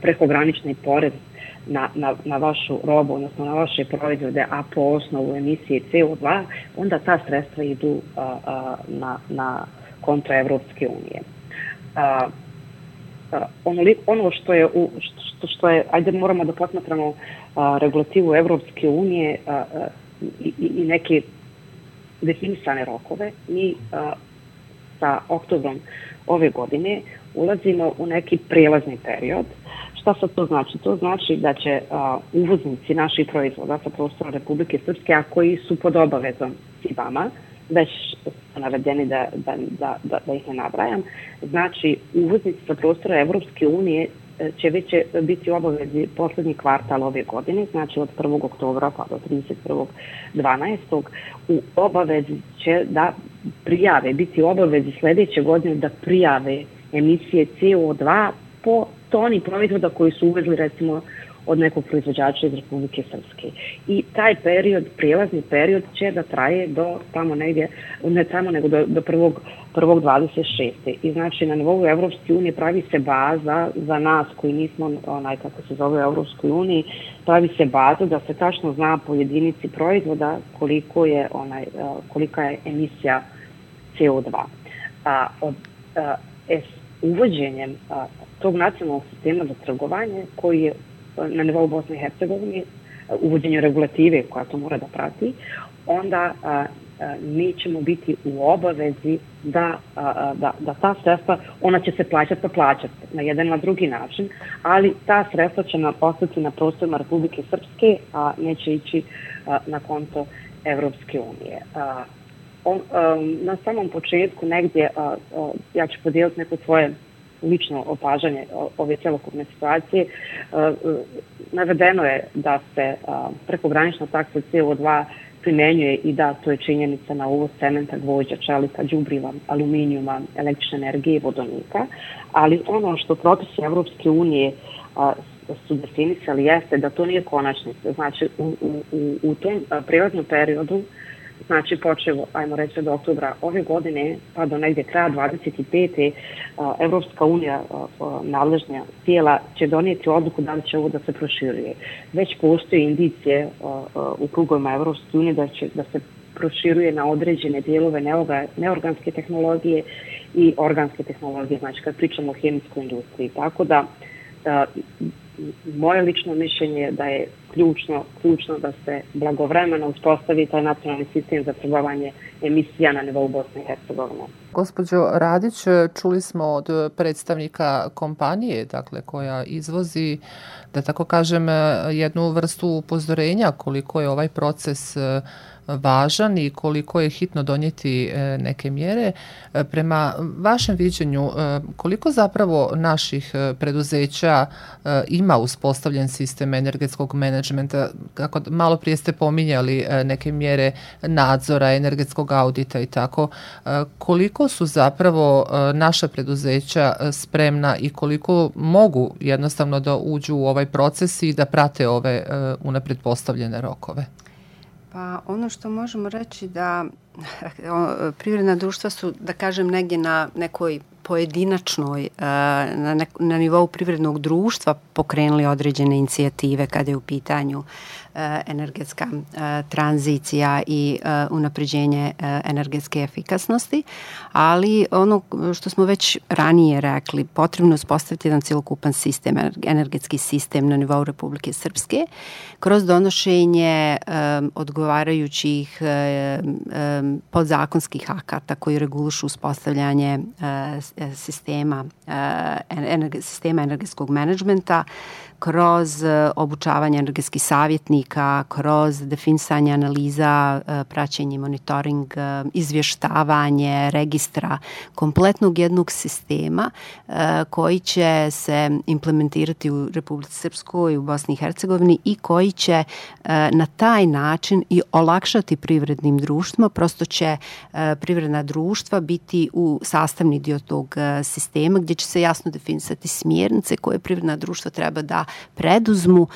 prekogranični porez na, na, na vašu robu, odnosno na vaše proizvode, a po osnovu emisije C O dva, onda ta sredstva idu a, a, na, na konto Evropske unije. A, Ono, ono što je, što, što je, ajde moramo da posmatramo a, regulativu Evropske unije a, a, i, i neke definisane rokove. Mi a, sa oktobrom ove godine ulazimo u neki prelazni period. Šta sad to znači? To znači da će a, uvoznici naših proizvoda sa prostora Republike Srpske, a koji su pod obavezom C B A M-a, već su navedeni da, da, da, da, da ih ne nabrajam. Znači, uvoznici sa prostora Evropske unije će već biti u obavezi poslednji kvartal ove godine, znači od prvog oktobra pa do trideset prvog dvanaestog u obavezi će da prijave, biti u obavezi sledeće godine da prijave emisije C O dva po toni proizvoda koji su uvezli recimo od nekog proizvođača iz Republike Srpske. I taj period, prijelazni period će da traje do tamo negdje, ne tamo nego do, do prvog, prvog dvadeset šeste. I znači na nivou Evropske unije pravi se baza za nas koji nismo, onaj kako se zove u Evropskoj uniji, pravi se baza da se tačno zna po jedinici proizvoda koliko je onaj, kolika je emisija C O dva. A, od, a, es, uvođenjem a, tog nacionalnog sistema za trgovanje koji je na nivou Bosne i Hercegovine, uvođenju regulative koja to mora da prati, onda a, a, mi ćemo biti u obavezi da, a, da, da ta sredstva, ona će se plaćati pa plaćati na jedan na drugi način, ali ta sredstva će nam ostati na prostorima Republike Srpske, a neće ići a, na konto Evropske unije. A, on, a, na samom početku negdje, a, a, ja ću podijeliti neko svoje lično opažanje ove celokupne situacije. Navedeno je da se prekogranična taksa C O dva primenjuje i da to je činjenica na uvoz cementa, gvožđa, čelika, đubriva, aluminijuma, električne energije i vodonika, ali ono što propisi Evropske unije su definisali jeste da to nije konačnica. Znači, u, u, u tom prijelaznom periodu, znači počevo, ajmo reći, od oktobra ove godine pa do negdje kraja dvadeset pete. Evropska unija, nadležna tijela, će donijeti odluku da li će ovo da se proširuje. Već postoje indicije u krugovima Evropske unije da će da se proširuje na određene dijelove neorganske tehnologije i organske tehnologije, znači kad pričamo o hemijskoj industriji. Tako da moje lično mišljenje je da je ključno, ključno da se blagovremeno uspostavi taj nacionalni sistem za trgovanje emisija na nivou Bosne i Hercegovine. Gospođo Radić, čuli smo od predstavnika kompanije, dakle, koja izvozi, da tako kažem, jednu vrstu upozorenja koliko je ovaj proces važan i koliko je hitno donijeti neke mjere. Prema vašem viđenju, koliko zapravo naših preduzeća ima uspostavljen sistem energetskog menadžmenta? Kako malo prije ste pominjali neke mjere nadzora, energetskog audita i tako. Koliko su zapravo naša preduzeća spremna i koliko mogu jednostavno da uđu u ovaj proces i da prate ove unapred postavljene rokove? Pa ono što možemo reći da privredna društva su, da kažem, negdje na nekoj pojedinačnoj, na, nek, na nivou privrednog društva pokrenuli određene inicijative kada je u pitanju energetska tranzicija i unapređenje energetske efikasnosti, ali ono što smo već ranije rekli, potrebno je uspostaviti jedan cjelokupan sistem, energetski sistem na nivou Republike Srpske, kroz donošenje odgovarajućih podzakonskih akata koji regulišu uspostavljanje sistema, sistema energetskog menadžmenta, kroz obučavanje energetskih savjetnika, kroz definisanje analiza, praćenje, monitoring, izvještavanje, registra, kompletnog jednog sistema koji će se implementirati u Republici Srpskoj i u Bosni i Hercegovini i koji će na taj način i olakšati privrednim društvima. Prosto će privredna društva biti u sastavni dio tog sistema gdje će se jasno definisati smjernice koje privredna društva treba da preduzmu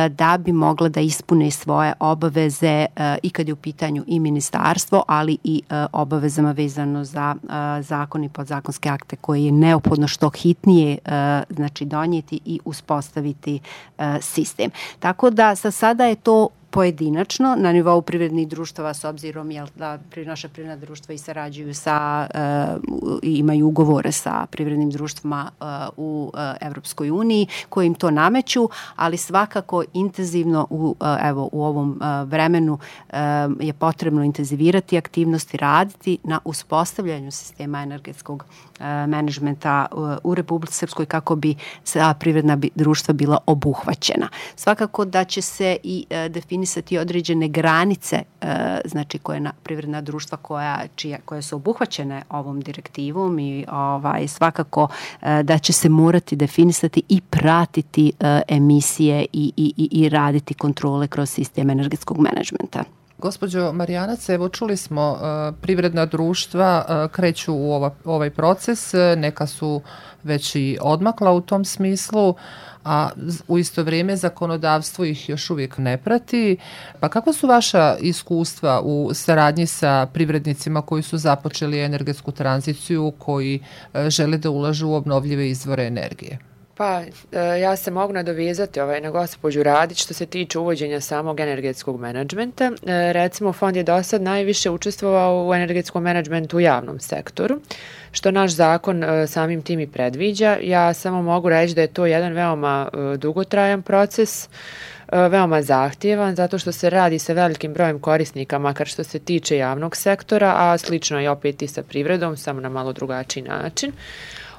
da bi mogla da ispune svoje obaveze i kad je u pitanju i ministarstvo, ali i obavezama vezano za zakon i podzakonske akte koje je neophodno što hitnije znači donijeti i uspostaviti sistem. Tako da sa sada je to pojedinačno na nivou privrednih društava s obzirom jel, da naša privredna društva i sarađuju sa, uh, imaju ugovore sa privrednim društvima uh, u uh, Evropskoj uniji koji im to nameću, ali svakako intenzivno u, uh, evo, u ovom uh, vremenu uh, je potrebno intenzivirati aktivnosti, raditi na uspostavljanju sistema energetskog uh, menadžmenta uh, u Republici Srpskoj kako bi sva privredna bi, društva bila obuhvaćena. Svakako da će se i uh, definisati određene granice, znači koje na privredna društva koja, čija, koje su obuhvaćene ovom direktivom i ovaj, svakako da će se morati definisati i pratiti emisije i, i, i raditi kontrole kroz sistem energetskog menadžmenta. Gospođo Marijanac, evo čuli smo uh, privredna društva uh, kreću u ova, ovaj proces, neka su već i odmakla u tom smislu, a u isto vrijeme zakonodavstvo ih još uvijek ne prati. Pa kako su vaša iskustva u saradnji sa privrednicima koji su započeli energetsku tranziciju, koji uh, žele da ulažu u obnovljive izvore energije? Pa, ja se mogu nadovezati ovaj, na gospođu Radić što se tiče uvođenja samog energetskog menadžmenta. Recimo, fond je do sad najviše učestvovao u energetskom menadžmentu u javnom sektoru, što naš zakon samim tim i predviđa. Ja samo mogu reći da je to jedan veoma dugotrajan proces, veoma zahtjevan, zato što se radi sa velikim brojem korisnika, makar što se tiče javnog sektora, a slično je opet i sa privredom, samo na malo drugačiji način.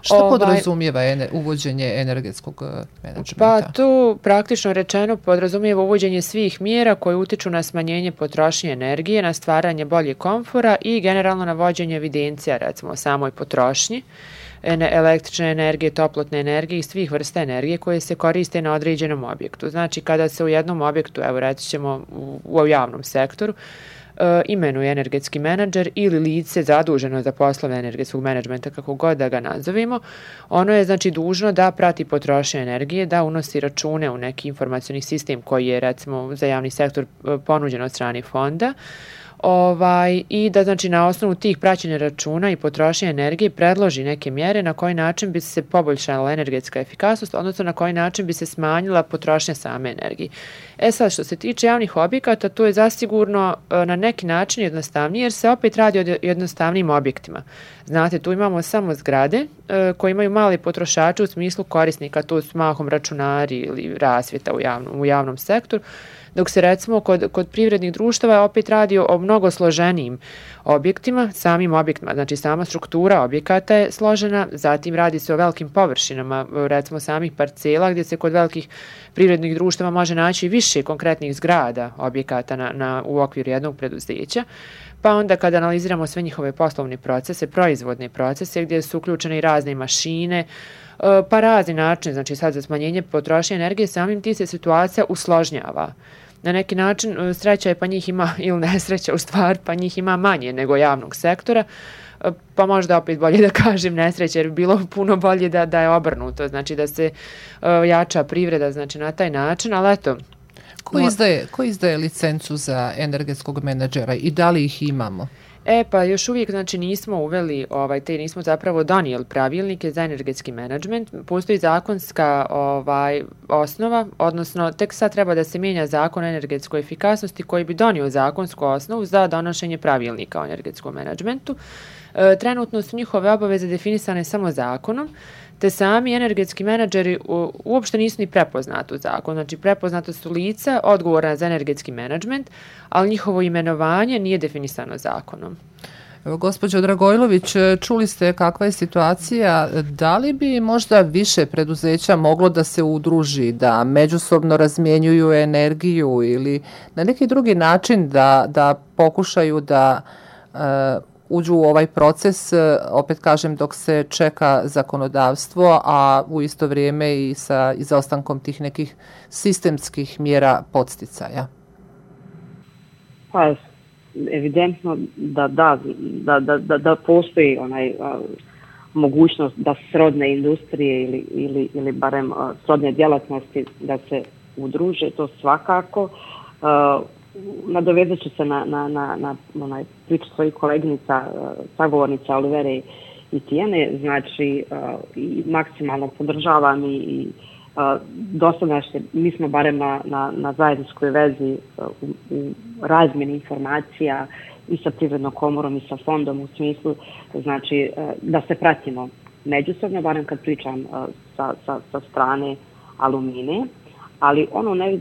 Što ovaj, podrazumijeva ene, uvođenje energetskog menadžmenta? Pa tu praktično rečeno podrazumijeva uvođenje svih mjera koje utiču na smanjenje potrošnje energije, na stvaranje bolje komfora i generalno na vođenje evidencija, recimo o samoj potrošnji električne energije, toplotne energije i svih vrsta energije koje se koriste na određenom objektu. Znači kada se u jednom objektu, evo reći ćemo u, u javnom sektoru, imenuje energetski menadžer ili lice zaduženo za poslove energetskog menadžmenta, kako god da ga nazovimo, ono je znači dužno da prati potrošnju energije, da unosi račune u neki informacioni sistem koji je recimo za javni sektor ponuđen od strane fonda, Ovaj, i da znači na osnovu tih praćenja računa i potrošnje energije predloži neke mjere na koji način bi se poboljšala energetska efikasnost, odnosno na koji način bi se smanjila potrošnja same energije. E sad, što se tiče javnih objekata, to je zasigurno na neki način jednostavnije, jer se opet radi o jednostavnim objektima. Znate, tu imamo samo zgrade e, koje imaju mali potrošače u smislu korisnika, to su mahom računari ili rasvjeta u javnom, u javnom sektoru, dok se recimo kod, kod privrednih društava opet radi o mnogo složenijim objektima, samim objektima, znači sama struktura objekata je složena, zatim radi se o velikim površinama, recimo samih parcela gdje se kod velikih privrednih društava može naći više konkretnih zgrada objekata na, na, u okviru jednog preduzeća. Pa onda kada analiziramo sve njihove poslovne procese, proizvodne procese gdje su uključene i razne mašine, pa razni način, znači sad za smanjenje potrošnje energije, samim ti se situacija usložnjava. Na neki način sreća je pa njih ima, ili nesreća u stvar, pa njih ima manje nego javnog sektora, pa možda opet bolje da kažem nesreća, jer bi bilo puno bolje da, da je obrnuto, znači da se uh, jača privreda znači na taj način, ali eto. Ko izdaje, ko izdaje licencu za energetskog menadžera i da li ih imamo? E pa još uvijek znači nismo uveli, ovaj, te nismo zapravo donijeli pravilnike za energetski menadžment. Postoji zakonska ovaj, osnova, odnosno tek sad treba da se mijenja zakon o energetskoj efikasnosti koji bi donio zakonsku osnovu za donošenje pravilnika o energetskom menadžmentu. E, trenutno su njihove obaveze definisane samo zakonom, te sami energetski menadžeri u, uopšte nisu ni prepoznati u zakonu. Znači prepoznato su lica odgovorna za energetski menadžment, ali njihovo imenovanje nije definisano zakonom. Evo, gospođo Dragojlović, čuli ste kakva je situacija. Da li bi možda više preduzeća moglo da se udruži, da međusobno razmjenjuju energiju ili na neki drugi način da, da pokušaju da uh, uđu u ovaj proces, opet kažem, dok se čeka zakonodavstvo, a u isto vrijeme i sa izostankom tih nekih sistemskih mjera podsticaja? Pa, evidentno da, da, da, da, da, da postoji onaj a, mogućnost da srodne industrije ili, ili, ili barem a, srodne djelatnosti da se udruže, to svakako. A, Nadovezat ću se na, na, na, na onaj priču svojih koleginica, sagovornica Olivere i Tijene, znači i maksimalno podržavam i, i dosadašnje, mi smo barem na, na, na zajedničkoj vezi u, u razmjeni informacija i sa Privrednom komorom i sa fondom u smislu, znači da se pratimo međusobno, barem kad pričam sa, sa, sa strane Alumine, ali ono ne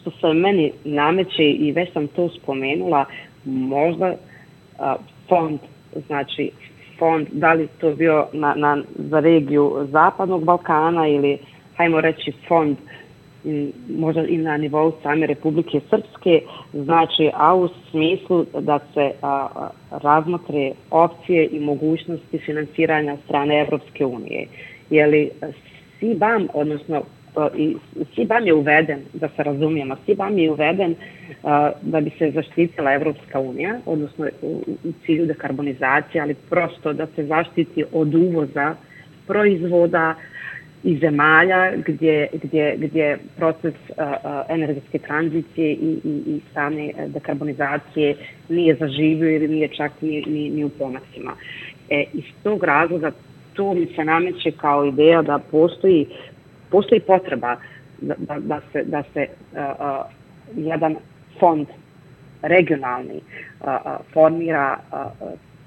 što se meni nameće i već sam to spomenula, možda uh, fond, znači fond, da li to bio na, na, za regiju Zapadnog Balkana ili, hajmo reći, fond m, možda i na nivou same Republike Srpske, znači, a u smislu da se a, razmotre opcije i mogućnosti finansiranja strane Evropske unije. Jeli S I B A M, odnosno i S I B A M je uveden, da se razumijemo, S I B A M je uveden uh, da bi se zaštitila Evropska unija, odnosno u, u cilju dekarbonizacije, ali prosto da se zaštiti od uvoza proizvoda iz zemalja gdje, gdje, gdje proces uh, energetske tranzicije i, i, i same dekarbonizacije nije zaživio ili nije čak ni, ni, ni u pomacima. E, iz tog razloga to mi se nameće kao ideja da postoji postoji potreba da, da, da se, da se uh, uh, jedan fond regionalni uh, uh, formira uh,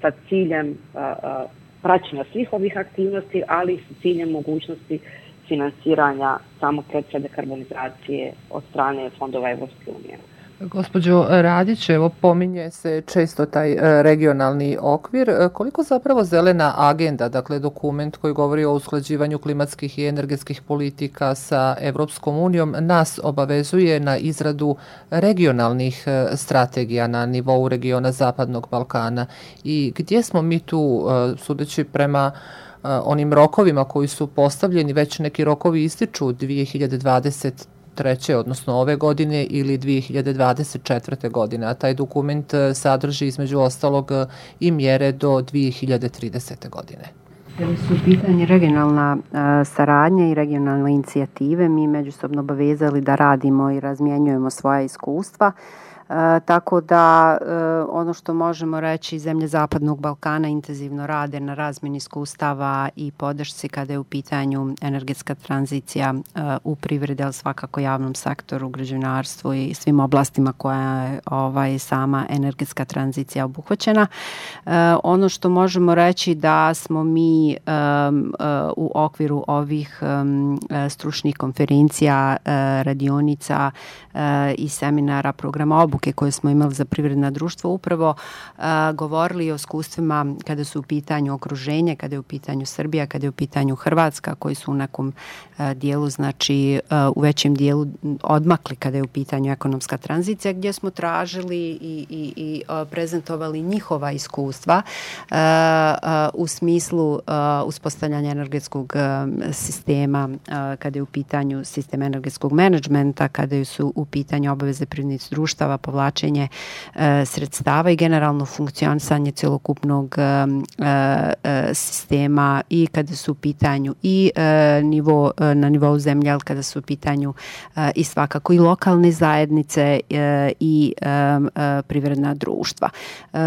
sa ciljem uh, uh, praćenja svih ovih aktivnosti, ali i sa ciljem mogućnosti finansiranja samog procesa dekarbonizacije od strane fondova Evropske unije. Gospođo Radić, evo pominje se često taj regionalni okvir. Koliko zapravo zelena agenda, dakle dokument koji govori o usklađivanju klimatskih i energetskih politika sa Evropskom unijom, nas obavezuje na izradu regionalnih strategija na nivou regiona Zapadnog Balkana i gdje smo mi tu, sudeći prema onim rokovima koji su postavljeni, već neki rokovi ističu dvije hiljade dvadeset treće, odnosno ove godine ili dvije hiljade dvadeset četvrte. godine, a taj dokument sadrži između ostalog i mjere do dvije hiljade tridesete. godine. Kada su u pitanju regionalna a, saradnja i regionalne inicijative, mi međusobno obavezali da radimo i razmjenjujemo svoja iskustva. E, tako da e, ono što možemo reći, zemlje Zapadnog Balkana intenzivno rade na razmjeni iskustava i podršci kada je u pitanju energetska tranzicija e, u privredi, ali svakako javnom sektoru, građevinarstvu i svim oblastima koja je ovaj, sama energetska tranzicija obuhvaćena. E, ono što možemo reći da smo mi e, e, u okviru ovih e, stručnih konferencija, e, radionica e, i seminara, programa obuke koje smo imali za privredna društva, upravo uh, govorili o iskustvima kada su u pitanju okruženje, kada je u pitanju Srbija, kada je u pitanju Hrvatska, koji su u nekom uh, dijelu, znači uh, u većem dijelu odmakli kada je u pitanju ekonomska tranzicija, gdje smo tražili i, i, i uh, prezentovali njihova iskustva uh, uh, u smislu uh, uspostavljanja energetskog uh, sistema, uh, kada je u pitanju sistem energetskog menadžmenta, kada su u pitanju obaveze privrednih društava, povlačenje e, sredstava i generalno funkcionisanje celokupnog e, e, sistema i kada su u pitanju i e, nivo, e, na nivou zemlje, ali kada su u pitanju e, i svakako i lokalne zajednice e, i e, e, privredna društva. E,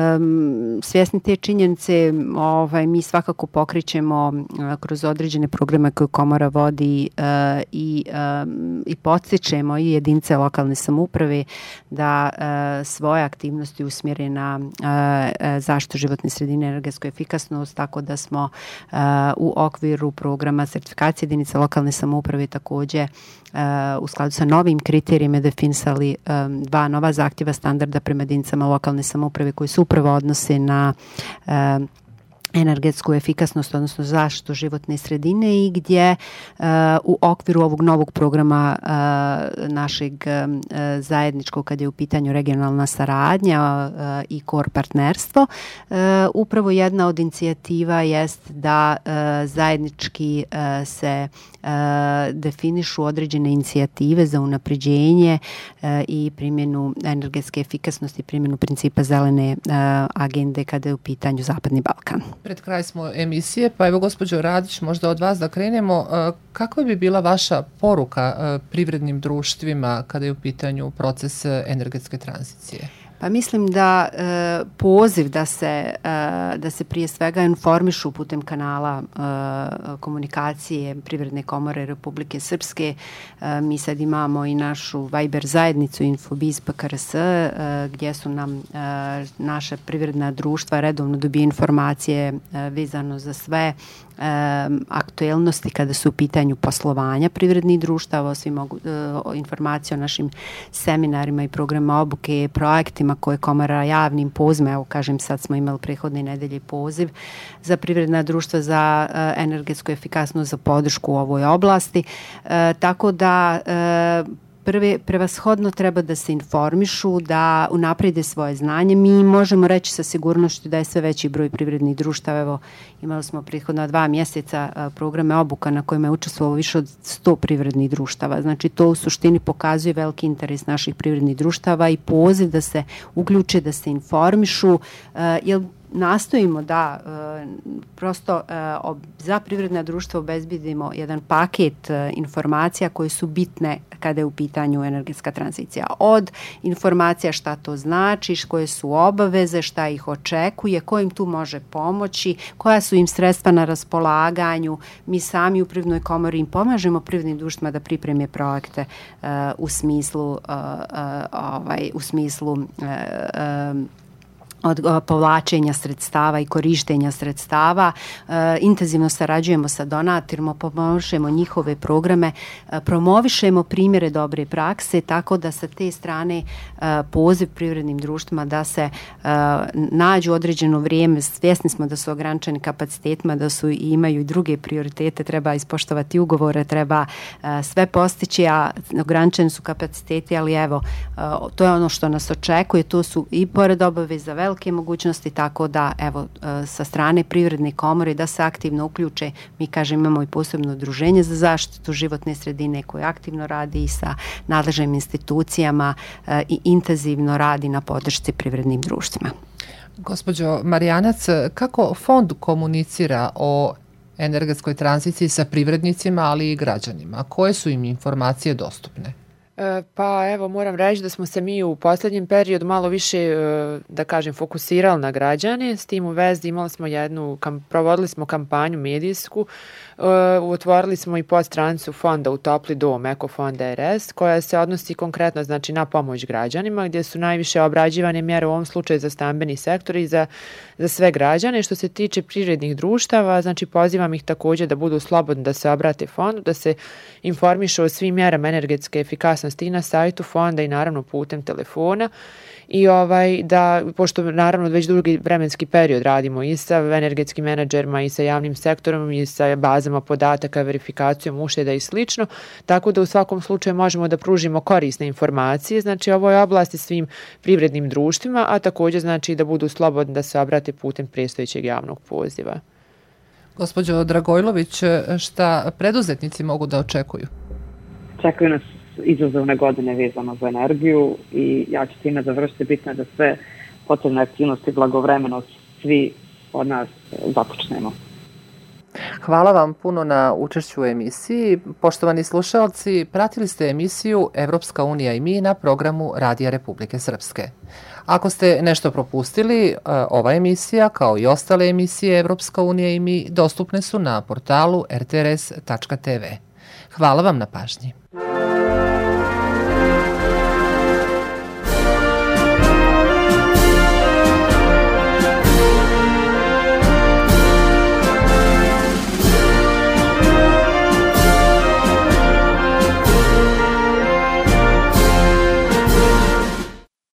svjesni te činjenice, ovaj, mi svakako pokrećemo e, kroz određene programe koje Komora vodi e, i, e, i podstičemo i jedinice lokalne samouprave da e, svoje aktivnosti usmjere na e, zaštitu životne sredine i energetsku efikasnost, tako da smo e, u okviru programa sertifikacije jedinica lokalne samouprave također e, u skladu sa novim kriterijima definisali e, dva nova zahtjeva standarda prema jedinicama lokalne samouprave koji se upravo odnose na e, energetsku efikasnost, odnosno zaštitu životne sredine i gdje uh, u okviru ovog novog programa uh, našeg uh, zajedničkog, kad je u pitanju regionalna saradnja uh, i kor partnerstvo, uh, upravo jedna od inicijativa jest da uh, zajednički uh, se uh, definišu određene inicijative za unapređenje uh, i primjenu energetske efikasnosti, primjenu principa zelene uh, agende kada je u pitanju Zapadni Balkan. Pred kraj smo emisije, pa evo gospođo Radić, možda od vas da krenemo. Kakva bi bila vaša poruka privrednim društvima kada je u pitanju proces energetske tranzicije? Pa mislim da e, poziv da se, e, da se prije svega informišu putem kanala e, komunikacije Privredne komore Republike Srpske. E, mi sad imamo i našu Viber zajednicu Infobiz P K R S e, gdje su nam e, naše privredna društva redovno dobije informacije e, vezano za sve e, aktuelnosti kada su u pitanju poslovanja privrednih društava, svi mogu e, informacije o našim seminarima i programa obuke, projektima koje Komora javnim pozivima, evo kažem sad smo imali prethodne nedelje poziv za privredna društva za uh, energetsku efikasnost, za podršku u ovoj oblasti. Uh, tako da uh, prve, prevashodno treba da se informišu, da unaprede svoje znanje. Mi možemo reći sa sigurnošću da je sve veći broj privrednih društava. Evo, imali smo prethodna dva mjeseca uh, programe obuka na kojima je učestvovalo više od sto privrednih društava. Znači, to u suštini pokazuje veliki interes naših privrednih društava i poziv da se uključe, da se informišu, uh, jer nastojimo da prosto za privredna društva obezbedimo jedan paket informacija koje su bitne kada je u pitanju energetska tranzicija. Od informacija šta to znači, koje su obaveze, šta ih očekuje, ko im tu može pomoći, koja su im sredstva na raspolaganju. Mi sami u Privrednoj komori im pomažemo privrednim društvima da pripreme projekte uh, u smislu uh, uh, ovaj, u smislu uh, uh, od povlačenja sredstava i korištenja sredstava. E, intenzivno sarađujemo sa donatorima, pomožemo njihove programe, e, promovišemo primjere dobre prakse, tako da sa te strane e, poziv privrednim društvima da se e, nađu određeno vrijeme. Svjesni smo da su ograničeni kapacitetima, da su i imaju i druge prioritete, treba ispoštovati ugovore, treba e, sve postići, a ograničeni su kapaciteti, ali evo, e, to je ono što nas očekuje, to su i pored obaveza velike mogućnosti, tako da evo sa strane Privredne komore da se aktivno uključe. Mi kažem imamo i posebno udruženje za zaštitu životne sredine koje aktivno radi i sa nadležnim institucijama i intenzivno radi na podršci privrednim društvima. Gospođo Marijanac, kako fond komunicira o energetskoj tranziciji sa privrednicima, ali i građanima? Koje su im informacije dostupne? Pa evo, moram reći da smo se mi u posljednjem periodu malo više, da kažem, fokusirali na građane. S tim u vezi imali smo jednu, provodili smo kampanju medijsku, otvorili smo i podstranicu fonda u Topli dom, Ekofond R S, koja se odnosi konkretno znači, na pomoć građanima, gdje su najviše obrađivane mjere u ovom slučaju za stambeni sektor i za, za sve građane. Što se tiče privrednih društava, znači pozivam ih također da budu slobodni da se obrate fondu, da se informišu o svim mjerama energetske efikasnosti i na sajtu fonda i naravno putem telefona. I ovaj, da, pošto naravno već dugi vremenski period radimo i sa energetskim menadžerima i sa javnim sektorom i sa bazama podataka, verifikacijom ušteda i slično, tako da u svakom slučaju možemo da pružimo korisne informacije, znači ovoj oblasti svim privrednim društvima, a također znači da budu slobodni da se obrate putem predstojećeg javnog poziva. Gospođo Dragojlović, šta preduzetnici mogu da očekuju? Čekaju nas izazovne godine vezano za energiju i ja ću time završiti. Bitno je da sve potrebne aktivnosti blagovremeno svi od nas započnemo. Hvala vam puno na učešću u emisiji. Poštovani slušalci, pratili ste emisiju Evropska unija i mi na programu Radija Republike Srpske. Ako ste nešto propustili, ova emisija, kao i ostale emisije Evropska unija i mi, dostupne su na portalu r t r s tačka t v. Hvala vam na pažnji.